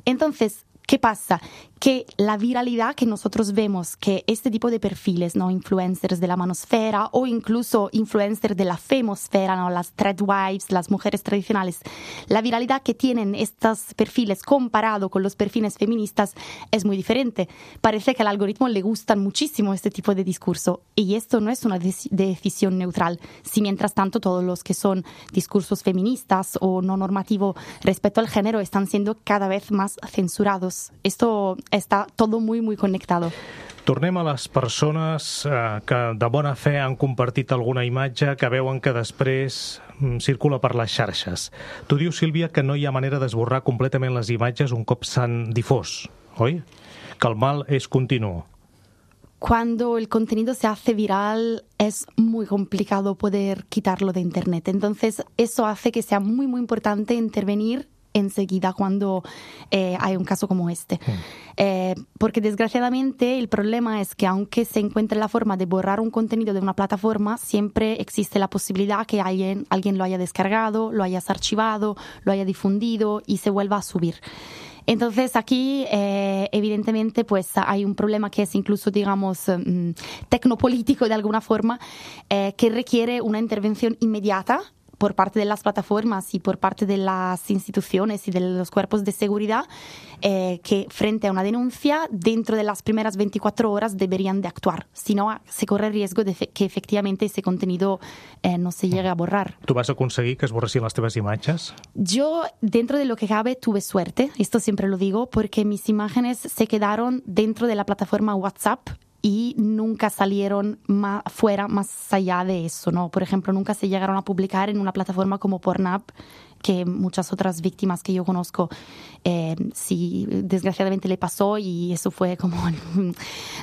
Speaker 5: Entonces, ¿qué pasa? Que la viralidad que nosotros vemos, que este tipo de perfiles, ¿no?, influencers de la manosfera o incluso influencers de la femosfera, ¿no?, las threadwives, las mujeres tradicionales, la viralidad que tienen estos perfiles comparado con los perfiles feministas es muy diferente. Parece que al algoritmo le gustan muchísimo este tipo de discurso y esto no es una dec- decisión neutral. Si mientras tanto todos los que son discursos feministas o no normativo respecto al género están siendo cada vez más censurados. todos. Esto está todo muy, muy conectado.
Speaker 2: Tornem a les persones eh, que de bona fe han compartit alguna imatge que veuen que després mm, circula per les xarxes. Tu dius, Sílvia, que no hi ha manera d'esborrar completament les imatges un cop s'han difós, oi? Que el mal és continu.
Speaker 5: Cuando el contenido se hace viral es muy complicado poder quitarlo de internet. Entonces eso hace que sea muy, muy importante intervenir enseguida cuando eh, hay un caso como este. Mm. Eh, porque desgraciadamente el problema es que aunque se encuentre la forma de borrar un contenido de una plataforma, siempre existe la posibilidad que alguien, alguien lo haya descargado, lo hayas archivado, lo haya difundido y se vuelva a subir. Entonces aquí eh, evidentemente pues hay un problema que es incluso digamos um, tecnopolítico de alguna forma eh, que requiere una intervención inmediata por parte de las plataformas y por parte de las instituciones y de los cuerpos de seguridad eh, que frente a una denuncia dentro de las primeras veinticuatro horas deberían de actuar. Si no, se corre el riesgo de que efectivamente ese contenido eh, no se llegue a borrar.
Speaker 2: Tu vas aconseguir que es borressin les teves imatges?
Speaker 5: Yo, dentro de lo que cabe, tuve suerte, esto siempre lo digo, porque mis imágenes se quedaron dentro de la plataforma WhatsApp y nunca salieron más fuera, más allá de eso, ¿no? Por ejemplo, nunca se llegaron a publicar en una plataforma como Pornhub, que muchas otras víctimas que yo conozco eh, sí, desgraciadamente le pasó y eso fue como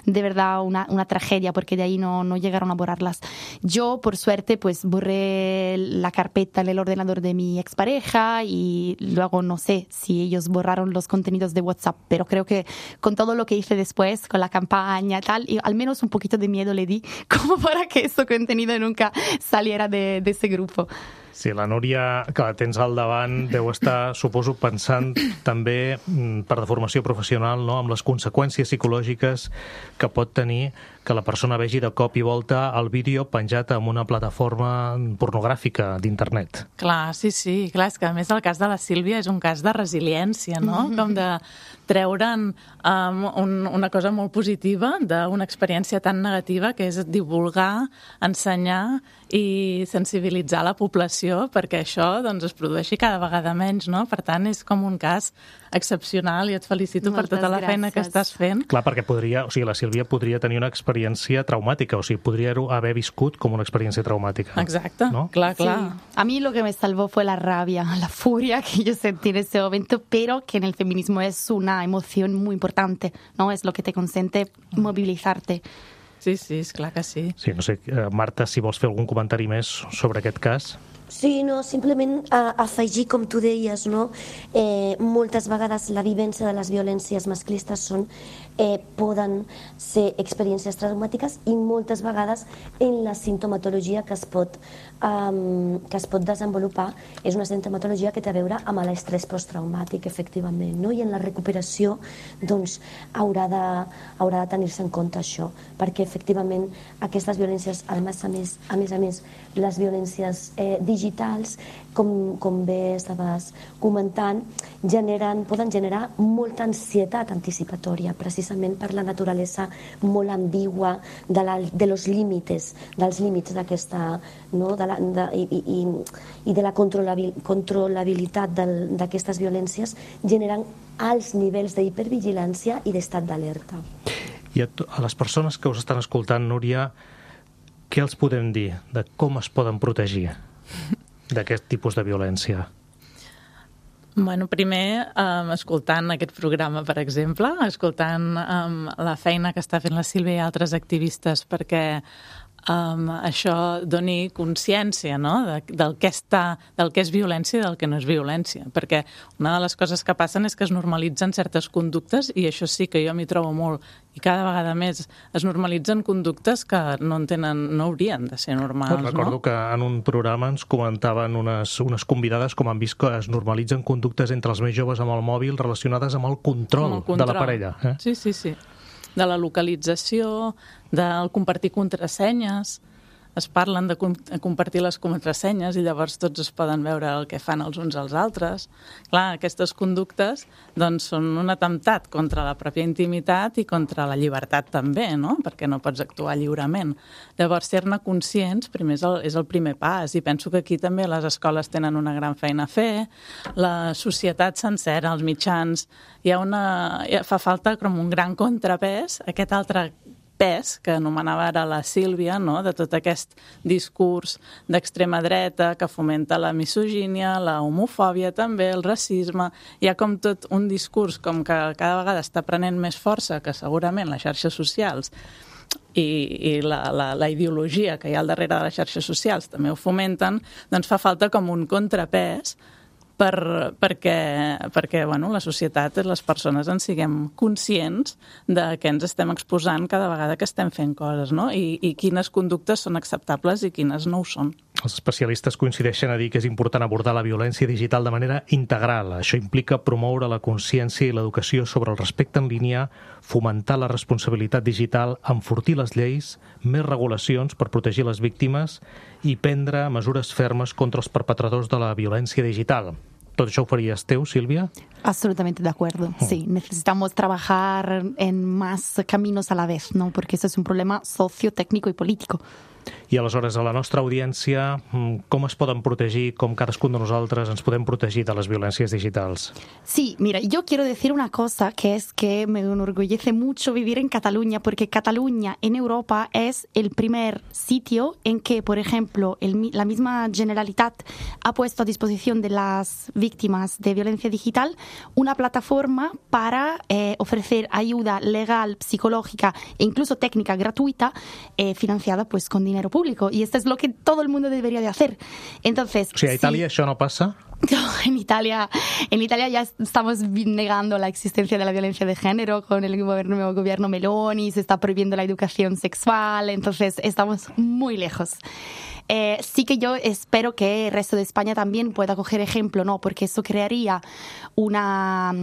Speaker 5: de verdad una, una tragedia porque de ahí no, no llegaron a borrarlas. Yo, por suerte, pues borré la carpeta en el ordenador de mi expareja y luego no sé si ellos borraron los contenidos de WhatsApp, pero creo que con todo lo que hice después, con la campaña y tal, y al menos un poquito de miedo le di como para que ese contenido nunca saliera de, de ese grupo.
Speaker 2: Sí, la Núria, que la tens al davant, deu estar, suposo, pensant també per deformació professional, no?, amb les conseqüències psicològiques que pot tenir que la persona vegi de cop i volta el vídeo penjat en una plataforma pornogràfica d'internet.
Speaker 6: Clar, sí, sí. Clar, és que a més el cas de la Sílvia és un cas de resiliència, no? Mm-hmm. Com de treure'n um, un, una cosa molt positiva d'una experiència tan negativa que és divulgar, ensenyar i sensibilitzar la població perquè això doncs, es produeixi cada vegada menys, no? Per tant, és com un cas excepcional i et felicito Moltes per tota la gràcies. Feina que estàs fent.
Speaker 2: Clar, perquè podria, o sigui, la Sílvia podria tenir una experiència traumàtica, o sigui, podria haver viscut com una experiència traumàtica.
Speaker 6: Exacte,
Speaker 2: ¿no?
Speaker 6: Clar, clar.
Speaker 5: Sí. A mí lo que me salvó fue la rabia, la furia que yo sentí en ese momento, pero que en el feminismo es una emoción muy importante, ¿no? Es lo que te consente movilizarte.
Speaker 6: Sí, sí, és clar que sí.
Speaker 2: Sí, no sé, Marta, si vols fer algun comentari més sobre aquest cas.
Speaker 4: Sí, no, simplement a, afegir, com tu deies, no? eh, moltes vegades la vivència de les violències masclistes són, eh, poden ser experiències traumàtiques i moltes vegades en la sintomatologia que es pot, um, que es pot desenvolupar és una sintomatologia que té a veure amb l'estrès posttraumàtic, efectivament, no? I en la recuperació doncs, haurà de, haurà de tenir-se en compte això, perquè efectivament aquestes violències, a més a més, a més, a més les violències eh, digitals, com, com bé estaves comentant, generen, poden generar molta ansietat anticipatòria, precisament per la naturalesa molt ambigua de, la, de los límites, dels límits d'aquesta, no? de la, de, i, i, i de la controlabil, controlabilitat d'aquestes violències, generen alts nivells d'hipervigilància i d'estat d'alerta.
Speaker 2: I a, a les persones que us estan escoltant, Núria, què els podem dir de com es poden protegir d'aquest tipus de violència?
Speaker 6: Bueno, primer, um, escoltant aquest programa, per exemple, escoltant um, la feina que està fent la Sílvia i altres activistes perquè um, això doni consciència, no?, de, del, que està, del que és violència i del que no és violència. Perquè una de les coses que passen és que es normalitzen certes conductes i això sí que jo m'hi trobo molt. I cada vegada més es normalitzen conductes que no, tenen, no haurien de ser normals.
Speaker 2: Recordo
Speaker 6: no?
Speaker 2: que en un programa ens comentaven unes, unes convidades com han vist que es normalitzen conductes entre els més joves amb el mòbil relacionades amb el control, amb el control. de la parella. Eh?
Speaker 6: Sí, sí, sí. De la localització, del compartir contrasenyes, es parlen de compartir les contrasenyes i llavors tots es poden veure el que fan els uns als altres. Clar, aquestes conductes doncs, són un atemptat contra la pròpia intimitat i contra la llibertat també, no? Perquè no pots actuar lliurement. Llavors, ser-ne conscients primer és el, és el primer pas i penso que aquí també les escoles tenen una gran feina a fer, la societat sencera, els mitjans, hi ha una, fa falta com un gran contrapès, aquest altre pes que anomenava ara la Sílvia, no? De tot aquest discurs d'extrema dreta que fomenta la misogínia, la homofòbia també, el racisme. Hi ha com tot un discurs com que cada vegada està prenent més força que segurament les xarxes socials i, i la, la, la ideologia que hi ha al darrere de les xarxes socials també ho fomenten, doncs fa falta com un contrapès per, perquè, perquè bueno, la societat, les persones en siguem conscients de què ens estem exposant cada vegada que estem fent coses, no? I, i quines conductes són acceptables i quines no ho són.
Speaker 2: Els especialistes coincideixen a dir que és important abordar la violència digital de manera integral. Això implica promoure la consciència i l'educació sobre el respecte en línia, fomentar la responsabilitat digital, enfortir les lleis, més regulacions per protegir les víctimes i prendre mesures fermes contra els perpetradors de la violència digital. ¿Todo eso farías tú, Silvia?
Speaker 5: Absolutamente de acuerdo, oh. Sí. Necesitamos trabajar en más caminos a la vez, ¿no? Porque eso es un problema socio-técnico y político.
Speaker 2: I aleshores, a la nostra audiència, com es poden protegir, com cadascun de nosaltres ens podem protegir de les violències digitals?
Speaker 5: Sí, mira, yo quiero decir una cosa, que es que me enorgullece mucho vivir en Cataluña, porque Cataluña en Europa es el primer sitio en que, por ejemplo, el, la misma Generalitat ha puesto a disposición de las víctimas de violencia digital una plataforma para eh, ofrecer ayuda legal, psicológica e incluso técnica gratuita, eh, financiada pues con dinero público, y esto es lo que todo el mundo debería de hacer. Entonces,
Speaker 2: o sea, ¿a Italia sí, eso no pasa?
Speaker 5: No, en Italia, en Italia ya estamos negando la existencia de la violencia de género con el gobierno, nuevo gobierno Meloni, se está prohibiendo la educación sexual, entonces estamos muy lejos. Eh, sí que yo espero que el resto de España también pueda coger ejemplo, ¿no? Porque eso crearía una,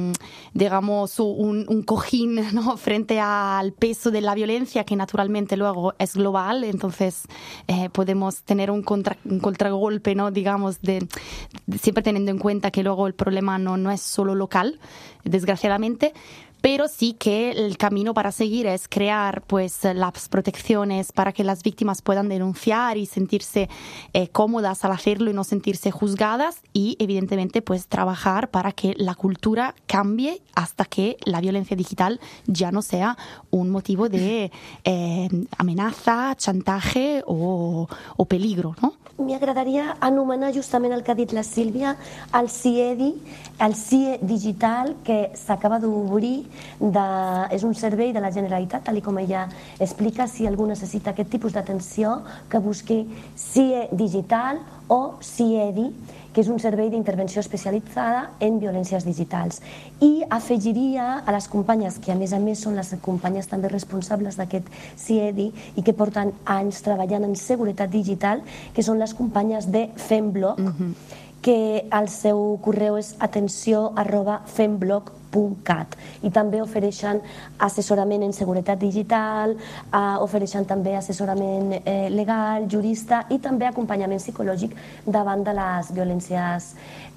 Speaker 5: digamos, un, un cojín, ¿no? Frente al peso de la violencia, que naturalmente luego es global, entonces eh, podemos tener un, contra, un contragolpe, ¿no? Digamos, de, de siempre teniendo en cuenta que luego el problema no, no es solo local, desgraciadamente. Pero sí que el camino para seguir es crear pues las protecciones para que las víctimas puedan denunciar y sentirse eh, cómodas al hacerlo y no sentirse juzgadas, y evidentemente pues trabajar para que la cultura cambie hasta que la violencia digital ya no sea un motivo de eh, amenaza, chantaje o, o peligro, ¿no?
Speaker 4: M'agradaria anomenar justament el que ha dit la Sílvia, el CIEDI, el C I E digital, que s'acaba d'obrir, de, és un servei de la Generalitat, tal com ella explica. Si algú necessita aquest tipus d'atenció, que busqui C I E digital o CIEDI, que és un servei d'intervenció especialitzada en violències digitals. I afegiria a les companyes, que a més a més són les companyes també responsables d'aquest CIEDI i que porten anys treballant en seguretat digital, que són les companyes de Femblog, mm-hmm. que el seu correu és atenció arroba femblog punt cat, i també ofereixen assessorament en seguretat digital, eh, ofereixen també assessorament eh, legal, jurista i també acompanyament psicològic davant de les violències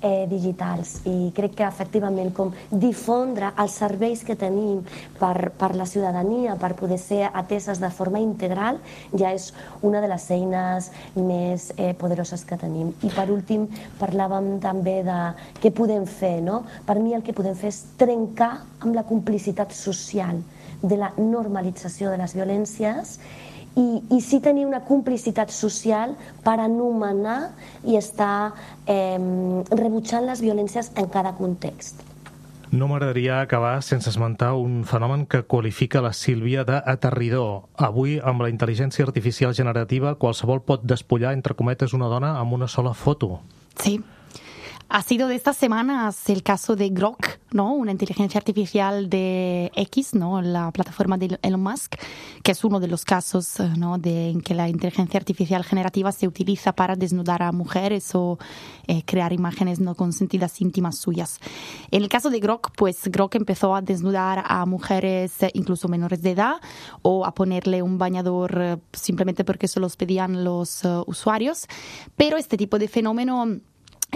Speaker 4: eh, digitals. I crec que efectivament com difondre els serveis que tenim per, per la ciutadania, per poder ser ateses de forma integral, ja és una de les eines més eh, poderoses que tenim. I per últim parlàvem també de què podem fer, no? Per mi el que podem fer és trencar amb la complicitat social de la normalització de les violències i, i sí tenir una complicitat social per anomenar i estar eh, rebutjant les violències en cada context.
Speaker 2: No m'agradaria acabar sense esmentar un fenomen que qualifica la Sílvia d'aterridor. Avui, amb la intel·ligència artificial generativa, qualsevol pot despullar, entre cometes, una dona amb una sola foto.
Speaker 5: Sí. Ha sido de estas semanas el caso de Grok, ¿no? Una inteligencia artificial de X, ¿no? La plataforma de Elon Musk, que es uno de los casos, ¿no? de, en que la inteligencia artificial generativa se utiliza para desnudar a mujeres o eh, crear imágenes no consentidas íntimas suyas. En el caso de Grok, pues Grok empezó a desnudar a mujeres eh, incluso menores de edad o a ponerle un bañador eh, simplemente porque se los pedían los uh, usuarios, pero este tipo de fenómeno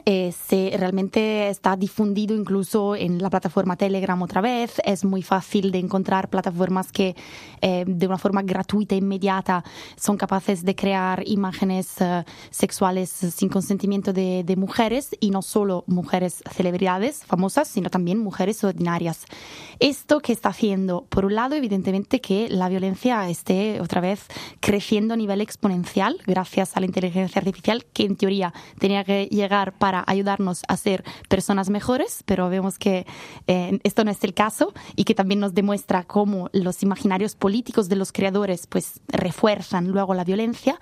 Speaker 5: Eh, se realmente está difundido incluso en la plataforma Telegram otra vez. Es muy fácil de encontrar plataformas que eh, de una forma gratuita e inmediata son capaces de crear imágenes eh, sexuales sin consentimiento de, de mujeres, y no solo mujeres celebridades famosas, sino también mujeres ordinarias. Esto que está haciendo, por un lado, evidentemente que la violencia esté otra vez creciendo a nivel exponencial gracias a la inteligencia artificial, que en teoría tenía que llegar para ayudarnos a ser personas mejores, pero vemos que eh, esto no es el caso, y que también nos demuestra cómo los imaginarios políticos de los creadores pues refuerzan luego la violencia.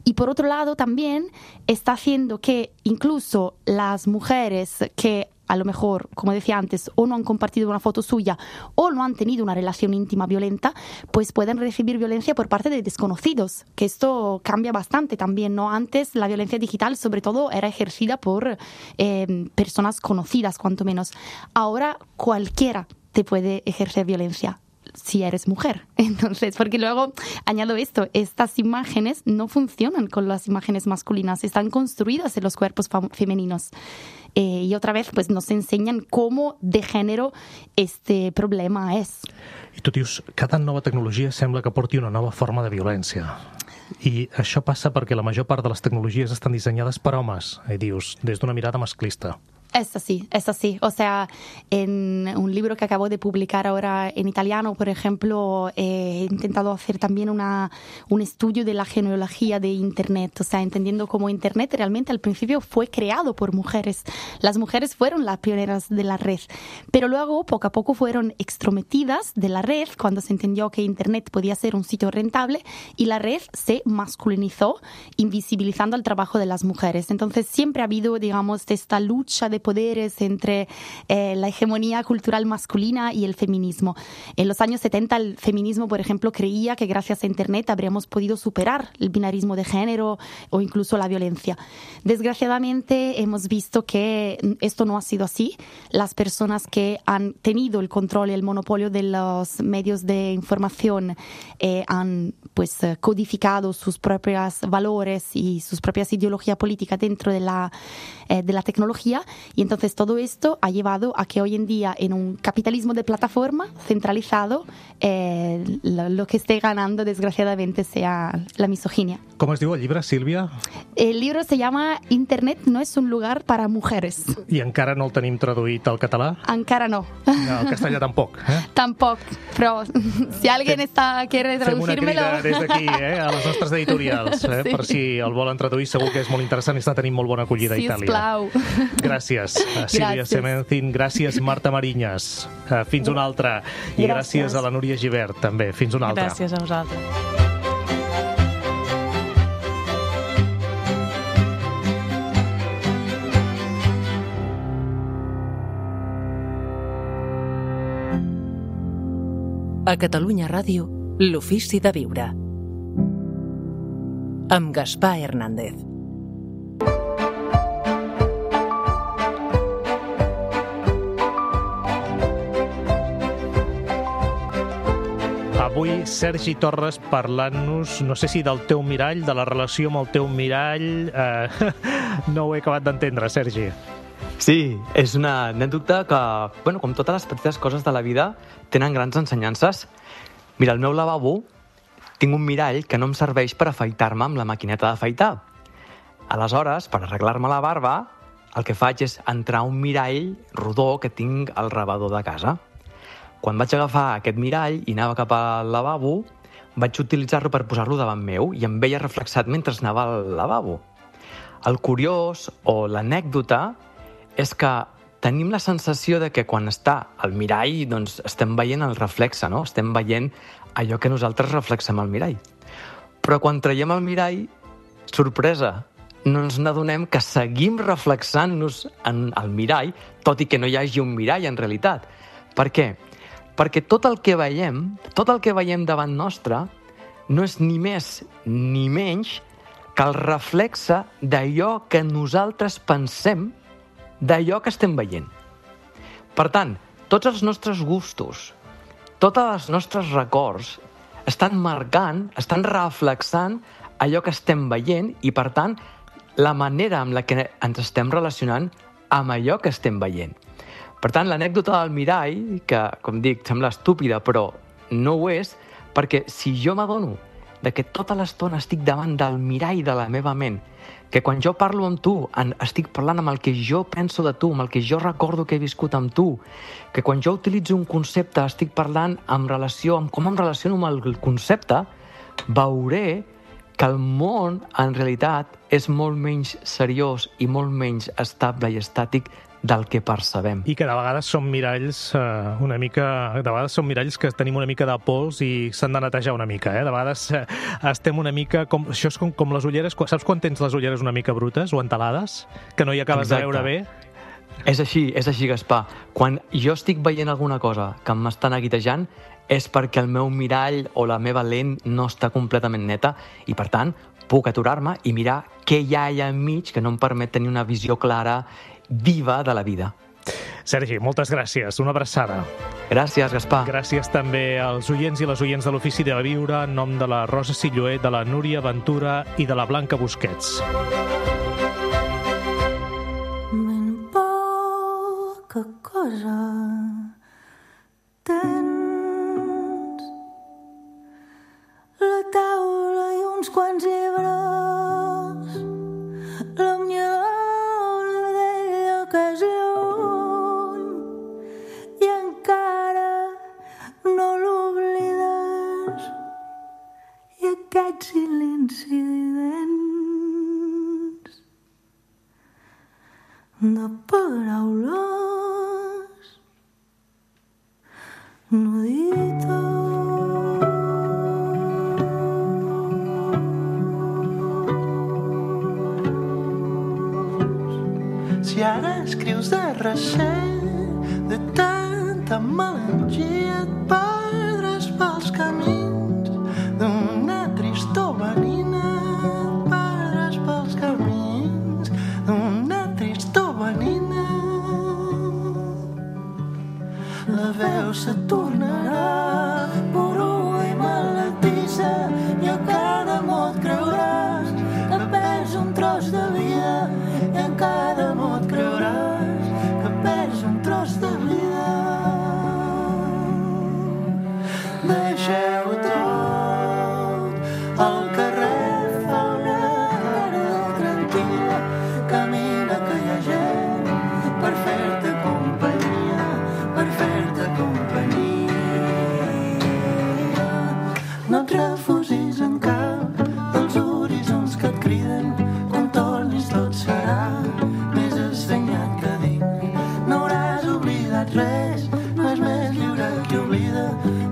Speaker 5: Y por otro lado también está haciendo que incluso las mujeres que a lo mejor, como decía antes, o no han compartido una foto suya o no han tenido una relación íntima violenta, pues pueden recibir violencia por parte de desconocidos, que esto cambia bastante también, ¿no? Antes la violencia digital sobre todo era ejercida por eh, personas conocidas, cuanto menos. Ahora cualquiera te puede ejercer violencia si eres mujer. Entonces, porque luego añado esto, estas imágenes no funcionan con las imágenes masculinas, están construidas en los cuerpos femeninos. Eh, y otra vez pues nos enseñan cómo de género este problema és.
Speaker 2: I tu dius, cada nova tecnologia sembla que porti una nova forma de violència. I això passa perquè la major part de les tecnologies estan dissenyades per homes, i dius, des d'una mirada masclista.
Speaker 5: Es así, es así. O sea, en un libro que acabo de publicar ahora en italiano, por ejemplo, he intentado hacer también una, un estudio de la genealogía de Internet, o sea, entendiendo cómo Internet realmente al principio fue creado por mujeres. Las mujeres fueron las pioneras de la red, pero luego poco a poco fueron extrometidas de la red cuando se entendió que Internet podía ser un sitio rentable, y la red se masculinizó, invisibilizando el trabajo de las mujeres. Entonces siempre ha habido, digamos, esta lucha de poderes entre eh, la hegemonía cultural masculina y el feminismo. En los años setenta el feminismo, por ejemplo, creía que gracias a Internet habríamos podido superar el binarismo de género o incluso la violencia. Desgraciadamente hemos visto que esto no ha sido así. Las personas que han tenido el control y el monopolio de los medios de información eh, han pues codificado sus propios valores y sus propias ideologías políticas dentro de la, eh, de la tecnología. Y entonces todo esto ha llevado a que hoy en día, en un capitalismo de plataforma centralizado, eh, lo, lo que esté ganando, desgraciadamente, sea la misoginia.
Speaker 2: Com es diu el llibre, Sílvia?
Speaker 5: El libro se llama Internet no es un lugar para mujeres.
Speaker 2: I encara no el tenim traduït al català?
Speaker 5: Encara no.
Speaker 2: No, el castellà tampoc. Eh?
Speaker 5: Tampoc, però si alguien está, quiere traducírmelo...
Speaker 2: Fem una crida des d'aquí, eh, a les nostres editorials, eh, sí. Per si el volen traduir, segur que és molt interessant i està tenint molt bona acollida a Itàlia.
Speaker 5: Sisplau.
Speaker 2: Gràcies, Sílvia Semencin, gràcies, Marta Mariñas. Fins una altra. I gràcies, gràcies a la Núria Gibert, també. Fins una altra.
Speaker 6: Gràcies a vosaltres.
Speaker 1: A Catalunya Ràdio, l'Ofici de Viure. Amb Gaspar Hernández.
Speaker 2: Avui, Sergi Torres parlant-nos, no sé si del teu mirall, de la relació amb el teu mirall... Eh, no ho he acabat d'entendre, Sergi.
Speaker 7: Sí, és una anècdota que, bueno, com totes les petites coses de la vida, tenen grans ensenyances. Mira, al meu lavabo tinc un mirall que no em serveix per afaitar-me amb la maquineta d'afaitar. Aleshores, per arreglar-me la barba, el que faig és entrar a un mirall rodó que tinc al rebedor de casa. Quan vaig agafar aquest mirall i anava cap al lavabo, vaig utilitzar-lo per posar-lo davant meu i em veia reflexat mentre anava al lavabo. El curiós o l'anècdota és que tenim la sensació de que quan està al mirall doncs estem veient el reflexe, no? Estem veient allò que nosaltres reflexem al mirall. Però quan traiem el mirall, sorpresa, no ens n'adonem que seguim reflexant-nos en el mirall, tot i que no hi hagi un mirall en realitat. Per què? Perquè tot el que veiem, tot el que veiem davant nostre, no és ni més ni menys que el reflexe d'allò que nosaltres pensem d'allò que estem veient. Per tant, tots els nostres gustos, tots els nostres records estan marcant, estan reflexant allò que estem veient i, per tant, la manera amb la que ens estem relacionant amb allò que estem veient. Per tant, l'anècdota del mirall, que, com dic, sembla estúpida, però no ho és, perquè si jo m'adono de que tota l'estona estic davant del mirall de la meva ment, que quan jo parlo amb tu estic parlant amb el que jo penso de tu, amb el que jo recordo que he viscut amb tu, que quan jo utilitzo un concepte estic parlant en relació amb com em relaciono amb el concepte, veuré que el món, en realitat, és molt menys seriós i molt menys estable i estàtic del que percebem.
Speaker 2: I que de vegades són miralls eh, una mica... De vegades són miralls que tenim una mica de pols i s'han de netejar una mica, eh? De vegades eh, estem una mica... Com, això és com, com les ulleres... Saps quan tens les ulleres una mica brutes o entelades? Que no hi acabes Exacte. de veure bé?
Speaker 7: És així, és així, Gaspar. Quan jo estic veient alguna cosa que m'està neguitejant, és perquè el meu mirall o la meva lent no està completament neta i, per tant, puc aturar-me i mirar què hi ha allà enmig que no em permet tenir una visió clara, viva de la vida.
Speaker 2: Sergi, moltes gràcies. Una abraçada.
Speaker 7: Gràcies, Gaspar.
Speaker 2: Gràcies també als oients i les oients de l'Ofici de Viure, en nom de la Rosa Silloé, de la Núria Ventura i de la Blanca Busquets.
Speaker 8: Ben poca cosa tens la taula i uns quants llibres, la millor d'ella que és lluny i encara no l'oblides, i aquest silenci dens de paraules no dites.
Speaker 9: Si ara escrius de recer, de tanta melangia et perdràs pels camins d'una tristor venina, et perdràs pels camins d'una tristor venina. La veu se tornarà porua i maletissa i a cada mot creuràs que perds un tros de vida i en cada mot creuràs que perds un tros de vida. Deixeu tot, el carrer fa una tarda tranquil·la, camina que hi ha gent per fer-te companyia, per fer-te companyia. No et refusis en cap dels horitzons que et criden, quan tornis tot serà més assenyat que dic. No hauràs oblidat res, no és més lliure qui oblida,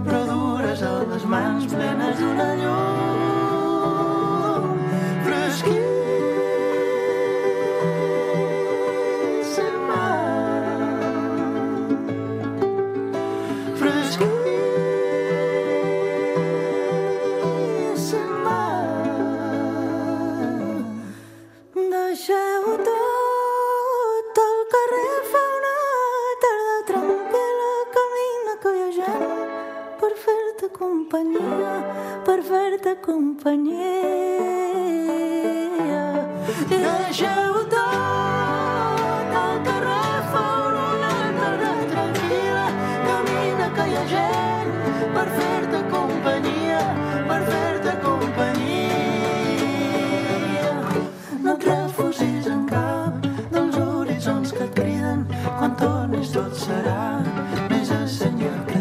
Speaker 9: però dures a les mans plenes d'una llum fresquíssima. Fresquíssima. Deixeu tot, el carrer fa una tarda tranquil·la, camina que hi ha gent per fer-te companyia, per fer-te companyia. Deixeu tot, el carrer fa una tarda tranquil·la, camina que hi ha gent per fer-te companyia, per fer-te companyia. No et refusis en cap dels horitzons que et criden, quan tornis tot serà més assenyat que